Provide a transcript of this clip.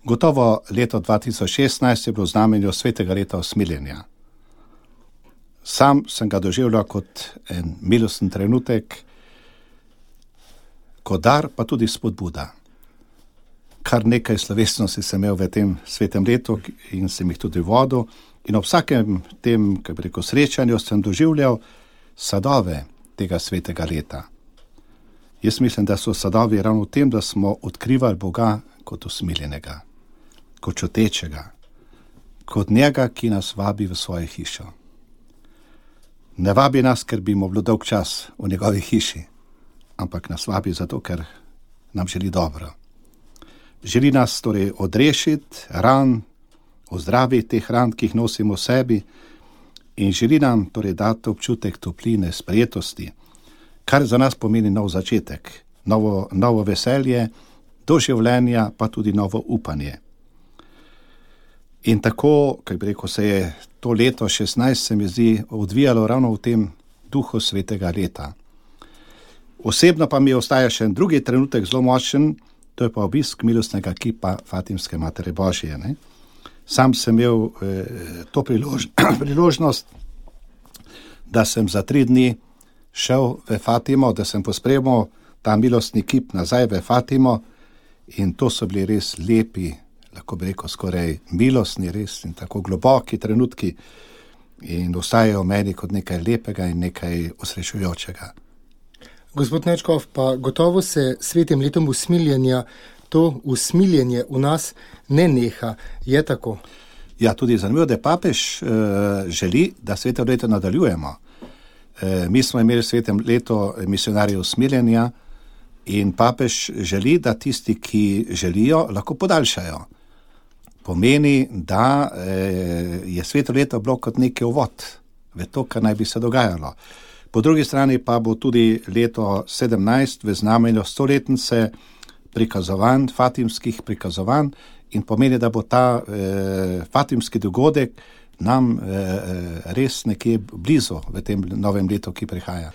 Gotovo leto 2016 je bilo v znamenju svetega leta usmiljenja. Sam sem ga doživljal kot en milosten trenutek, kot dar, pa tudi spodbuda. Kar nekaj slovesnosti sem imel v tem svetem letu in sem jih tudi vodil. In ob vsakem tem, srečanju sem doživljal sadove tega svetega leta. Jaz mislim, da so sadovi ravno v tem, da smo odkrivali Boga kot usmiljenega, kot čutečega, kot njega, ki nas vabi v svojo hišo. Ne vabi nas, ker bi mu bilo dolg čas v njegovi hiši, ampak nas vabi zato, ker nam želi dobro. Želi nas torej odrešiti ran, ozdraviti teh ran, ki jih nosimo v sebi, in želi nam torej dati občutek topline, sprejetosti, kar za nas pomeni nov začetek, novo veselje, do življenja pa tudi novo upanje. In tako, se je to leto 16, se mi zdi, odvijalo ravno v tem duhu svetega leta. Osebno pa mi ostaja še en drugi trenutek zelo močen, to je pa obisk milostnega kipa Fatimske Matere Božje. Ne? Sam sem imel to priložnost, da sem za 3 dni šel v Fatimo, da sem pospremil ta milostni kip nazaj v Fatimo, in to so bili res lepi, lahko bi rekel skoraj milostni, res in tako globoki trenutki, in ostajajo meni kot nekaj lepega in nekaj osrečujočega. Gospod Nečkov, pa gotovo se svetim letom usmiljenja to usmiljenje v nas ne neha, je tako? Ja, tudi zanimivo, da papež želi, da sveto leto nadaljujemo. Mi smo imeli svetem leto misionarjev usmiljenja in papež želi, da tisti, ki želijo, lahko podaljšajo. Pomeni, da je sveto leto bilo kot neki uvod v to, kar naj bi se dogajalo. Po drugi strani pa bo tudi leto 17 v znamenju 100-letnice prikazovanj, fatimskih prikazovanj, in pomeni, da bo ta fatimski dogodek nam res nekje blizu v tem novem letu, ki prihaja.